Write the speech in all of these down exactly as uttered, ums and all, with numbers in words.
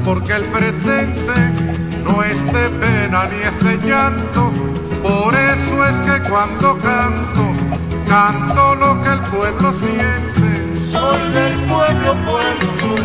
porque el presente no es de pena ni es de llanto. Por eso es que cuando canto, canto lo que el pueblo siente. Soy del pueblo, pueblo soy.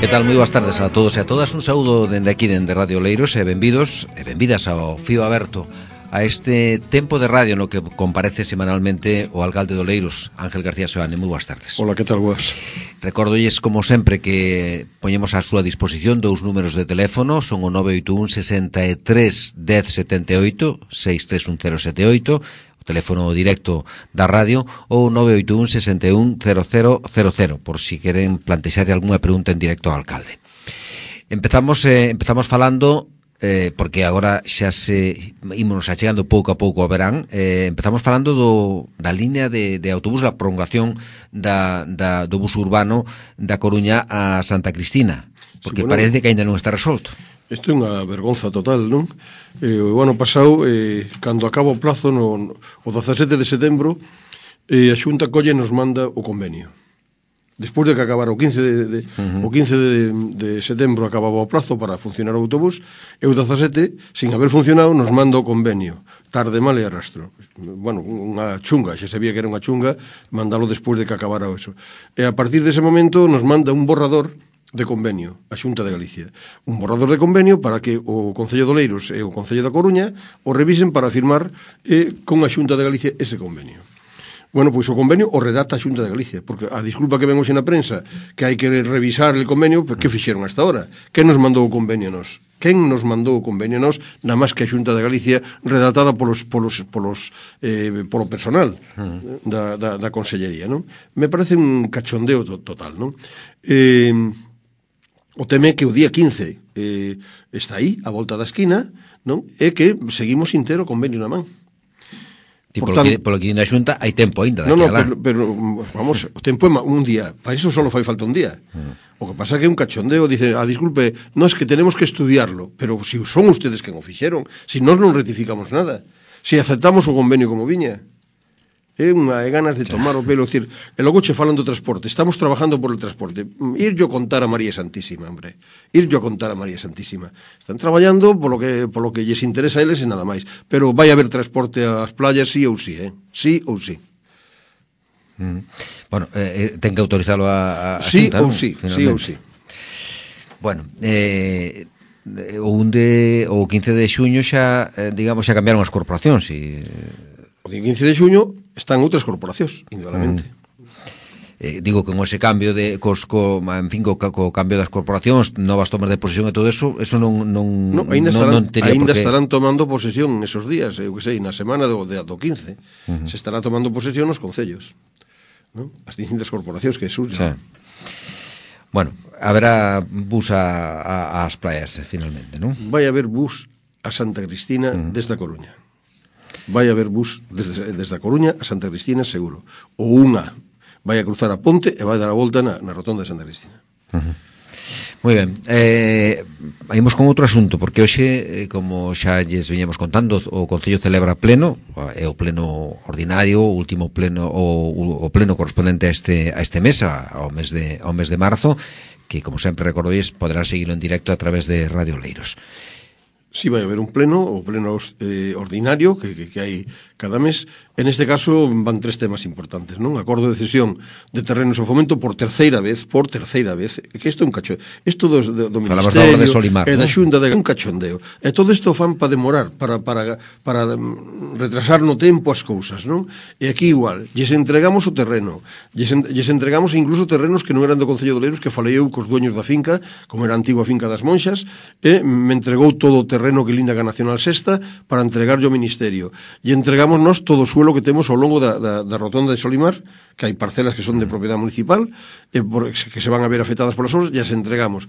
Que tal? Moi boas tardes a todos e a todas. Un saúdo dende aquí, dende Radio Oleiros, e benvidos e benvidas ao Fío Aberto, a este tempo de radio no que comparece semanalmente o alcalde de Oleiros, Ángel García Seoane. Moi boas tardes. Hola, que tal, boas? Recórdolles, como sempre, que poñemos á súa disposición dous números de teléfono, son o nove oito un sesenta e tres dez setenta e oito, seis tres un cero sete oito, o teléfono directo da radio, ou nove oito un sesenta e un cero cero cero cero, por si queren plantexar algunha pregunta en directo ao alcalde. Empezamos eh, empezamos falando, eh, porque agora xa se ímonos achegando pouco a pouco ao verán, eh, empezamos falando do, da línea de, de autobús, a prolongación da, da, do bus urbano da Coruña a Santa Cristina, porque sí, bueno, parece que ainda non está resolto. Isto é unha vergonza total, non? Eh, o ano pasado, eh, cando acaba o plazo, no, no, o dezasete de setembro, eh, a Xunta colle nos manda o convenio. Despois de que acabara o quince de, de, uh-huh. o quince de, de setembro acababa o plazo para funcionar o autobús, e o dezasete, sin haber funcionado, nos manda o convenio. Tarde, mal e arrastro. Bueno, unha chunga, xa sabía que era unha chunga, mandalo despois de que acabara eso. E a partir dese momento nos manda un borrador de convenio a Xunta de Galicia. Un borrador de convenio para que o Concello de Oleiros e o Concello da Coruña o revisen para firmar eh, con a Xunta de Galicia ese convenio. Bueno, pois o convenio o redacta a Xunta de Galicia, porque a disculpa que ven hoxe na prensa que hai que revisar el convenio, pues, que fixeron hasta ahora? Quen nos mandou o convenio nos? Quen nos mandou o convenio nos, na máis que a Xunta de Galicia redactada polos, polos, polos, eh, polo personal uh-huh. da, da, da Consellería, non? Me parece un cachondeo to, total, non? Eh, o teme que o día quince eh, está aí, a volta da esquina, non? E que seguimos sin ter o convenio na man. Ti, polo, tanto, que, polo que na Xunta hai tempo ainda. No, no, pero, pero, vamos, o tempo é un día. Para iso só fai falta un día. Mm. O que pasa é que é un cachondeo. Dice, ah, disculpe, no, es que tenemos que estudiarlo. Pero si son ustedes que o fixeron, si nós non rectificamos nada, si aceptamos o convenio como viña, é unha é ganas de tomar o pelo, decir, e logo che falan do transporte, estamos trabajando por el transporte. Ir yo contar a María Santísima, hombre. Ir yo contar a María Santísima. Están traballando polo que polo que lles interesa a eles e nada máis. Pero vai haber transporte ás playas sí ou sí, eh? Sí ou sí. Mm. Bueno, eh, ten que autorizalo a, a sí Xunta, ou ¿no? sí, sí ou sí. Bueno, eh o un de o quince de xuño xa, eh, digamos, xa cambiaron as corporacións e o quince de xuño están outras corporacións, indudablemente. Mm. Eh, digo que con ese cambio de cos, co, en fin, co, co cambio das corporacións, novas tomas de posesión e todo eso, eso non non no, ainda estarán, non, non teria ainda porque... estarán tomando posesión esos días, eu que sei, na semana do, do quince. Uh-huh. Se estará tomando posesión os concellos, ¿no? As distintas corporacións que surgen. Sí. Bueno, haberá bus a, a, ás playas, finalmente, non? Vai haber bus a Santa Cristina uh-huh. desde a Coruña. Vai haber bus desde, desde a Coruña a Santa Cristina seguro. Ou unha vai a cruzar a ponte e vai dar a volta na, na rotonda de Santa Cristina. Uh-huh. Moi ben. Eh, Imos con outro asunto, porque hoxe, eh, como xa lles veñamos contando, o Concello celebra pleno, é o pleno ordinario, o último pleno, o, o pleno correspondente a este, a este mes, ao mes de, ao mes de marzo, que, como sempre recordois, poderán seguilo en directo a través de Radio Oleiros. Si sí, vai haber un pleno, o pleno eh, ordinario que, que, que hai cada mes. En este caso van tres temas importantes, non? Acordo de cesión de terrenos ao fomento por terceira vez, por terceira vez, que isto é un cachondeo. Isto do, do, do Ministerio de Solimar, e da ¿no? Xunta de un cachondeo. E todo isto fan para demorar, para, para, para retrasar no tempo as cousas, non? E aquí igual, lles entregamos o terreno, lles, lles entregamos incluso terrenos que non eran do Concello de Oleiros, que falei eu cos dueños da finca, como era a antigua finca das Monxas, e me entregou todo o terreno que linda a Nacional Sexta para entregarlo ao Ministerio. E entregamos nós todo o suelo que temos ao longo da, da, da rotonda de Solimar, que hai parcelas que son de propiedade municipal, e por, que se van a ver afectadas polas obras, e as entregamos.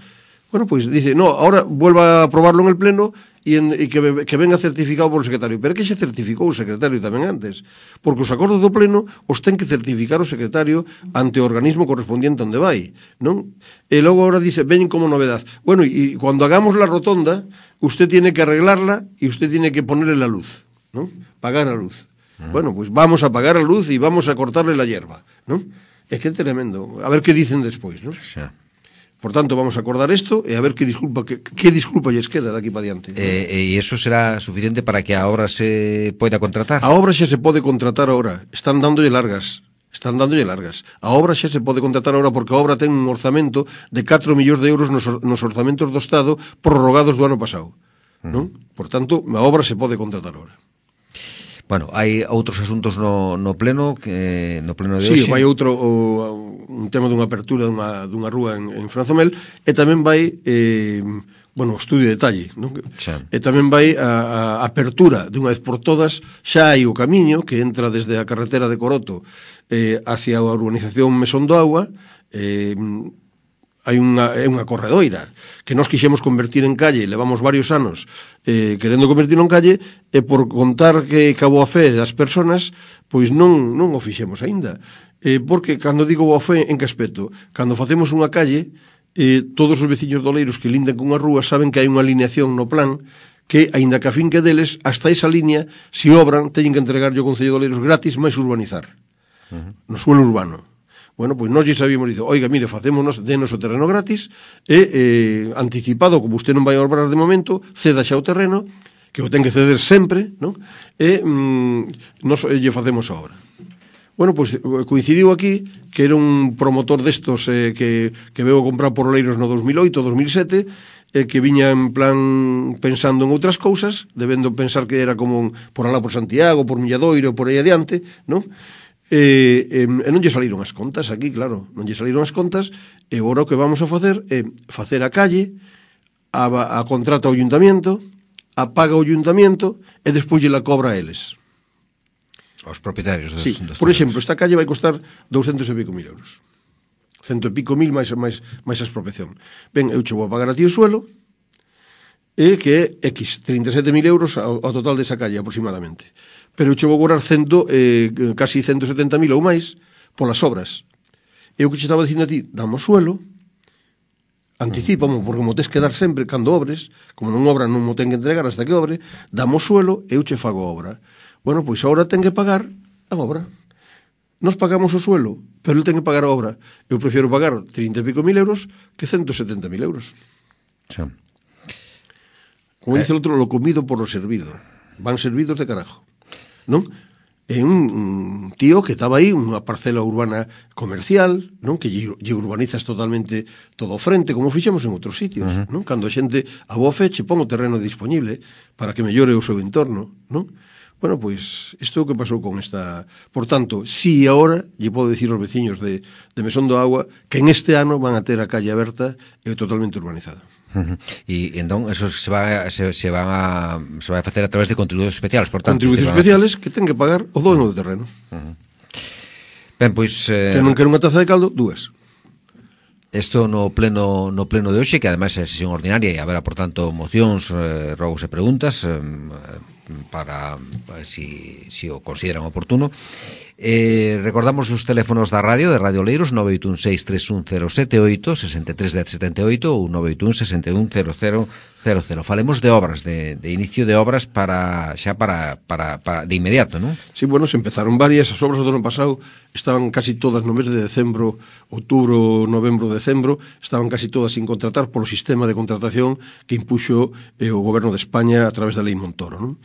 Bueno, pois pues dice, no, ahora vuelva a aprobarlo en el pleno e, en, e que, que venga certificado por o secretario. Pero que xa certificou o secretario tamén antes, porque os acordos do pleno os ten que certificar o secretario ante o organismo correspondiente onde vai, non? E logo ahora dice, ven como novedad. Bueno, e cuando hagamos la rotonda, usted tiene que arreglarla e usted tiene que ponerle la luz, ¿no? Pagar a luz. Uh-huh. Bueno, pues vamos a pagar a luz e vamos a cortarle la hierba, ¿no? É que é tremendo. A ver que dicen despois, ¿no? Xa. Por tanto, vamos a acordar isto e a ver que disculpa que, que disculpa lles queda daqui para diante. E eh, iso será suficiente para que a obra se poida contratar? A obra xa se pode contratar ahora. Están dándolle largas. Están dándolle largas. A obra xa se pode contratar ahora porque a obra ten un orzamento de catro millóns de euros nos, nos orzamentos do Estado prorrogados do ano pasado. Non? Por tanto, a obra se pode contratar ahora. Bueno, hai outros asuntos no, no pleno que no pleno de hoxe. Sí, vai outro o, un tema dunha apertura dunha, dunha rúa en, en Franzomel e tamén vai eh, bueno, o estudio de detalle, non? E tamén vai a, a apertura dunha vez por todas, xa hai o camiño que entra desde a carretera de Coroto eh, hacia a urbanización Mesón do Agua. eh, hai unha, é unha corredoira que nós quixemos convertir en calle, levamos varios anos eh, querendo convertirlo en calle, e por contar que cabo a fe das persoas, pois non, non o fixemos aínda. Eh, porque, cando digo boa fe, en que aspecto? Cando facemos unha calle, eh, todos os veciños doleiros que lindan cunha rúa saben que hai unha alineación no plan que, aínda que a fin que deles, hasta esa línea, se obran, teñen que entregarlle ao Concello de Oleiros gratis máis urbanizar. Uh-huh. No suelo urbano. Bueno, pois nós lle sabíamos dito, oiga, mire, facémonos, denos o terreno gratis e eh, anticipado, como usted non vai a obrar de momento, ceda xa o terreno, que o ten que ceder sempre, non? E mm, nos lle facemos a obra. Bueno, pois coincidiu aquí que era un promotor destos eh, que, que veo comprar por Oleiros no dos mil oito, dos mil sete, eh, que viña en plan pensando en outras cousas, debendo pensar que era como un, por alá por Santiago, por Milladoiro, por aí adiante, non? E, e, e non lle saliron as contas aquí, claro, non lle saliron as contas, e agora o que vamos a facer é facer a calle, a, a contrata o ayuntamiento, a paga o ayuntamiento e despois lle la cobra a eles. Os propietarios dos, sí, dos por exemplo, esta calle vai costar douscentos e pico mil euros. Cento e pico mil máis, máis, máis a expropiación. Ben, eu che vou a pagar a ti o suelo, e que é X, trinta e sete mil euros ao, ao total desa calle aproximadamente. Pero eu che vou cobrar cento, eh, casi ciento setenta mil ou máis polas obras. E o que che estaba dicindo a ti, damos suelo, anticipamo, porque mo tes que dar sempre cando obres, como non obra non mo ten que entregar hasta que obre, damos suelo e eu che fago obra. Bueno, pois agora ten que pagar a obra. Nos pagamos o suelo, pero ele ten que pagar a obra. Eu prefiero pagar trinta e pico mil euros que ciento setenta mil euros. Sí. Como dice el outro, lo comido por lo servido. Van servidos de carajo. Non? É un, un tío que estaba aí, unha parcela urbana comercial, non? Que lle, lle urbanizas totalmente todo o frente, como fixemos en outros sitios, uh-huh. non? Cando a xente a boa fe che pon o terreno disponible para que mellore o seu entorno, non? Bueno, pois, isto é o que pasou con esta... Por tanto, si agora, lle podo dicir aos veciños de, de Mesón do Agua, que en este ano van a ter a calle aberta e totalmente urbanizada. Uh-huh. E entón, eso se va, se, se, van a, se vai a facer a través de contribucións especiales, por tanto... Contribucións especiales a... que ten que pagar o dono do terreno. Uh-huh. Ben, pois... Eh... Que non quer unha taza de caldo, dúas. Isto no pleno no pleno de hoxe, que ademais é sesión ordinaria e haberá, por tanto, mocións, eh, rogos e preguntas eh, para, para si, si o consideran oportuno. Eh, recordamos os teléfonos da radio, de Radio Oleiros, nove oito un seis tres un cero sete oito, sesenta e tres dez setenta e oito ou nove oito un sesenta e un cero cero cero cero. Falemos de obras, de, de inicio de obras para xa para, para, para de inmediato, non? Sí, bueno, se empezaron varias, as obras do ano pasado estaban casi todas no mes de decembro, outubro, novembro, decembro, estaban casi todas sin contratar polo sistema de contratación que impuxo eh, o goberno de España a través da lei Montoro, non?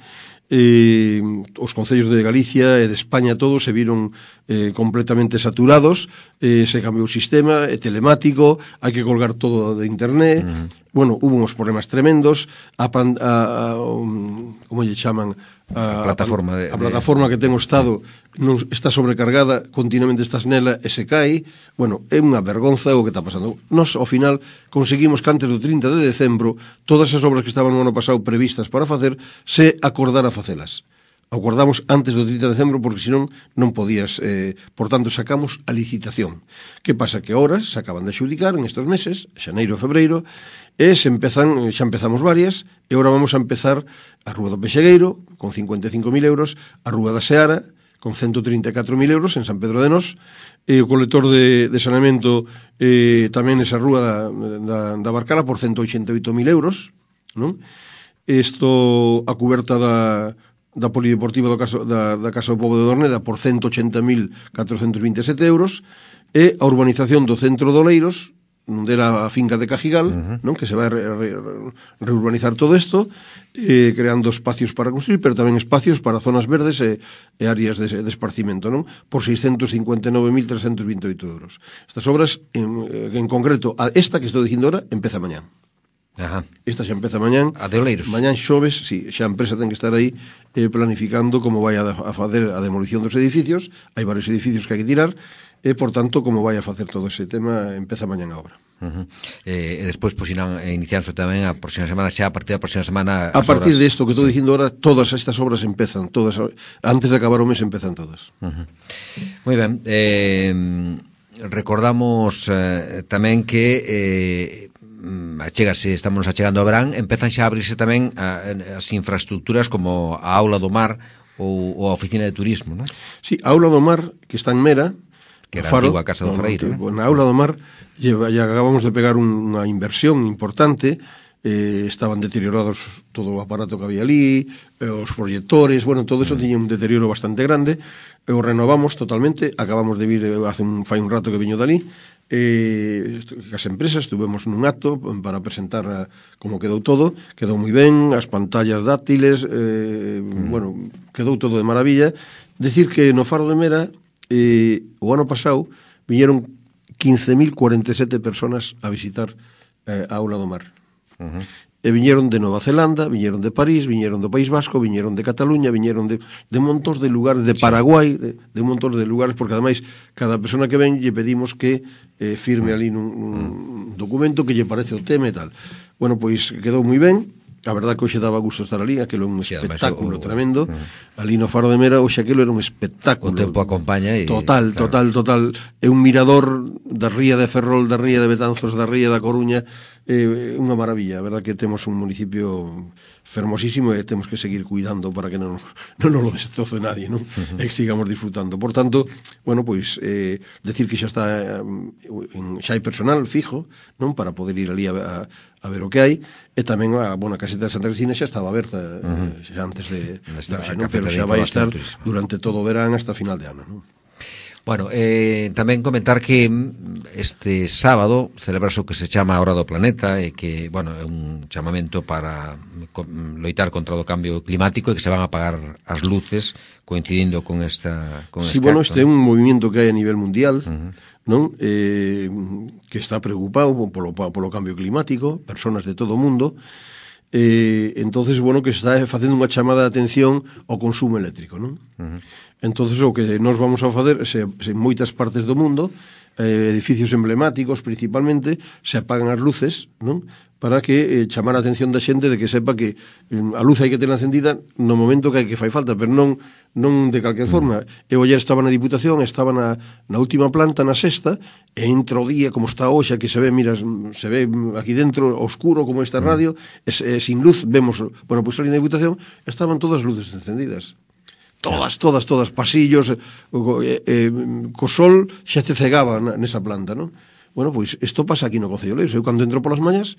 Eh, os concellos de Galicia e de España todos se viron eh, completamente saturados, eh, se cambiou o sistema, é telemático, hai que colgar todo de internet. Uh-huh. Bueno, hubo uns problemas tremendos, a, pan, a, a um, como lle chaman, a, a plataforma de, a plataforma que ten o Estado non está sobrecargada, continuamente estás nela e se cae. Bueno, é unha vergonza o que está pasando. Nos, ao final, conseguimos que antes do trinta de decembro todas as obras que estaban no ano pasado previstas para facer se acordara facelas. Acordamos antes do trinta de decembro porque senón non podías, eh, por tanto sacamos a licitación. Que pasa? Que ahora se acaban de adxudicar en estes meses, xaneiro e febreiro, e se empezan, xa empezamos varias, e agora vamos a empezar a Rúa do Pexegueiro con cincuenta e cinco mil euros, a Rúa da Seara con ciento trinta e catro mil euros en San Pedro de Nós, e o colector de, de saneamento eh, tamén esa Rúa da, da, da Barcala por ciento oitenta e oito mil euros, non? Isto a cuberta da da polideportiva do caso, da, da Casa do Pobo de Dorneda por ciento oitenta mil catrocentos vinte e sete euros, e a urbanización do centro de Oleiros non dera a finca de Cajigal, uh-huh. non? Que se vai re, re, reurbanizar todo isto, eh, creando espacios para construir, pero tamén espacios para zonas verdes e, e áreas de, de esparcimento, non? Por seiscentos cincuenta e nove mil trescentos vinte e oito euros. Estas obras, en, en concreto, a esta que estou dicindo ahora, empeza mañán. Ajá. Esta xa empeza mañán. A de Oleiros. Mañán xoves, si, xa a empresa ten que estar aí eh, planificando como vai a, a facer a demolición dos edificios. Hai varios edificios que hai que tirar, e, por tanto, como vai a facer todo ese tema, empeza mañán a obra. Uh-huh. eh, e despois, pois, irán iniciándose tamén a próxima semana, xa a partir da próxima semana a partir obras... de isto que estou sí. dicindo ahora, todas estas obras empezan, todas, antes de acabar o mes empezan todas. Uh-huh. Moi ben, eh, recordamos eh, tamén que eh, achegase, estamos achegando a verán, empezan xa a abrirse tamén a, as infraestructuras como a Aula do Mar ou, ou a Oficina de Turismo, non? Sí, a Aula do Mar, que está en Mera, que era Faro, a antigua Casa do Fareiro, no, na Aula do Mar lleva, ya acabamos de pegar un, unha inversión importante, eh, estaban deteriorados todo o aparato que había ali, eh, os proyectores, bueno, todo eso mm. tiña un deterioro bastante grande, e o renovamos totalmente, acabamos de vir, hace un, fai un rato que viño dali, eh, as empresas tuvemos nun acto para presentar a, como quedou todo, quedou moi ben, as pantallas dáctiles, eh, mm. bueno, quedou todo de maravilla. Decir que no Faro de Mera, eh, o ano pasado viñeron quince mil cuarenta e sete personas a visitar eh, a Aula do Mar. Uh-huh. E viñeron de Nova Zelanda, viñeron de París, viñeron do País Vasco, viñeron de Cataluña, viñeron de, de montón de lugares, de Paraguai, de, de montón de lugares, porque ademais cada persona que ven lle pedimos que eh, firme ali nun, nun documento que lle parece o tema e tal. Bueno, pois quedou moi ben. A verdad que hoxe daba gusto estar ali, aquilo é un sí, espectáculo o, tremendo. Uh, ali no Faro de Mera, hoxe aquilo era un espectáculo. O tempo acompaña e... Total, claro. total, total. É un mirador da ría de Ferrol, da ría de Betanzos, da ría da Coruña. É eh, unha maravilla. A verdad que temos un municipio fermosísimo e temos que seguir cuidando para que non, non nos lo destroce nadie, non? Uh-huh. E que sigamos disfrutando. Por tanto, bueno, pois, eh, decir que xa está, eh, xa hai personal fijo, non? Para poder ir ali a, a, a ver o que hai, e tamén a, bueno, a caseta de Santa Cristina xa estaba aberta uh-huh. eh, xa antes de, Nesta, de non? Pero xa vai estar durante todo o verán hasta final de ano, non? Bueno, eh, tamén comentar que este sábado celebrase o que se chama a Hora do Planeta e que, bueno, é un chamamento para loitar contra o cambio climático e que se van a apagar as luces coincidindo con esta con sí, este bueno, acto. Este é un movimento que hai a nivel mundial, uh-huh. non? Eh, que está preocupado polo, polo cambio climático, personas de todo o mundo. Eh, entonces, bueno, que está facendo unha chamada de atención ao consumo eléctrico, non? Uh-huh. Entonces, o que nós vamos a facer se, se en moitas partes do mundo, eh, edificios emblemáticos principalmente, se apagan as luces, non? Para que eh, chamar a atención da xente de que sepa que eh, a luz hai que ter encendida no momento que hai que fai falta, pero non non de calquer forma. Eu ayer estaba na Diputación, estaba na, na última planta, na sexta, e entra o día como está hoxe, que se ve, mira, se ve aquí dentro oscuro como esta radio, e, e sin luz vemos, bueno, pois ali na Diputación estaban todas as luces encendidas. Todas, todas, todas, pasillos, eh, eh, co sol xa te cegaba nesa planta, non? Bueno, pois isto pasa aquí no Concello de Oleiros. Eu cando entro polas mañas,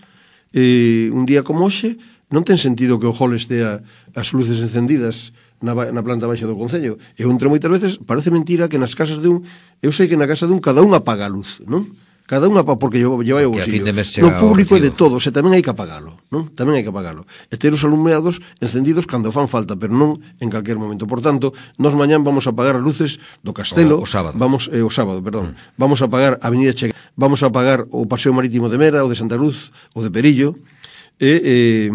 eh, un día como hoxe, non ten sentido que o hall estea as luces encendidas na, na planta baixa do Concello. Eu entro moitas veces, parece mentira que nas casas de un, eu sei que na casa de un cada un apaga a luz, non? Cada unha porque lleva o bolsillo. No público é de todos, e tamén hai que apagalo, non? Tamén hai que apagalo. E ter os alumeados encendidos cando fan falta, pero non en calquer momento. Por tanto, nós mañán vamos a apagar as luces do Castelo, o, o sábado. Vamos eh, o sábado, perdón. Mm. Vamos a apagar a Avenida Che, vamos a apagar o Paseo Marítimo de Mera, o de Santa Luz, o de Perillo, e eh,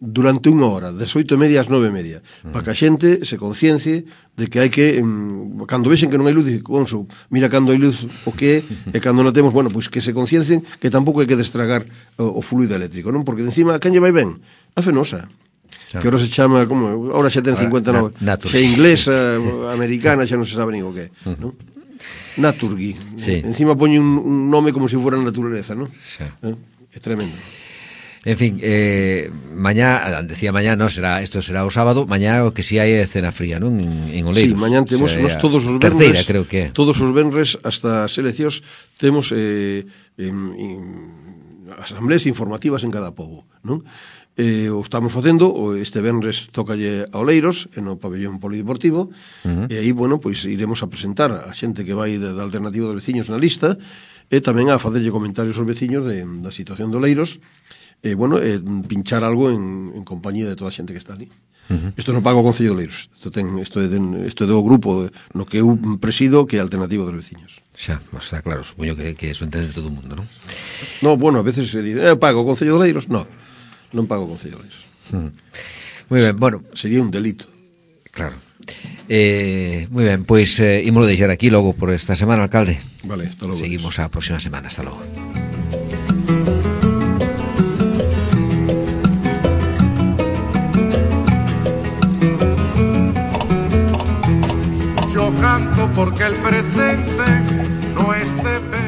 durante unha hora, das oito e media ás nove e media, mm. para que a xente se conciencie de que hai que, um, cando vexen que non hai luz, dice, Conso, mira cando hai luz o que é, e cando non temos, bueno, pois que se conciencien que tampouco hai que destragar o, o fluido eléctrico, non? Porque encima, quen lle vai ben? A Fenosa. Claro. Que ahora se chama, como, ahora xa ten cincuenta e nove, xa inglesa, americana, xa non se sabe nin o que, mm. non? Naturgy. Sí. Encima poñe un, un nome como se si fuera naturaleza, non? Sí. ¿Eh? É tremendo. En fin, eh, mañá, decía mañá, no, será, esto será o sábado, mañá o que si hai é cena fría, non? En, en Oleiros. Sí, mañá temos, o sea, nos todos os terceira, venres, creo que todos os venres hasta as eleccións temos eh, en, en, asambleas informativas en cada pobo, non? Eh, o estamos facendo, este venres tócalle a Oleiros, no pabellón polideportivo, uh-huh. e aí, bueno, pois iremos a presentar a xente que vai da alternativa dos veciños na lista, e tamén a facerlle comentarios aos veciños de, da situación do Leiros, e, bueno, e pinchar algo en, en compañía de toda a xente que está ali. Uh-huh. Isto non paga o Concello de Leiros, isto, ten, isto, é, isto é do grupo de, no que eu presido, que é Alternativo dos Veciños. Xa, está claro, supoño que, que eso entende todo o mundo, non? No, bueno, a veces se dice, eh, pago o Concello de Leiros, no, non pago o Concello de Leiros. Uh-huh. Moi ben, bueno. Sería un delito. Claro. Eh, moi ben, pois eh, ímolo deixar aquí logo por esta semana, alcalde. Vale, hasta logo. Seguimos a próxima semana, hasta logo. Yo canto porque el presente no esté pena.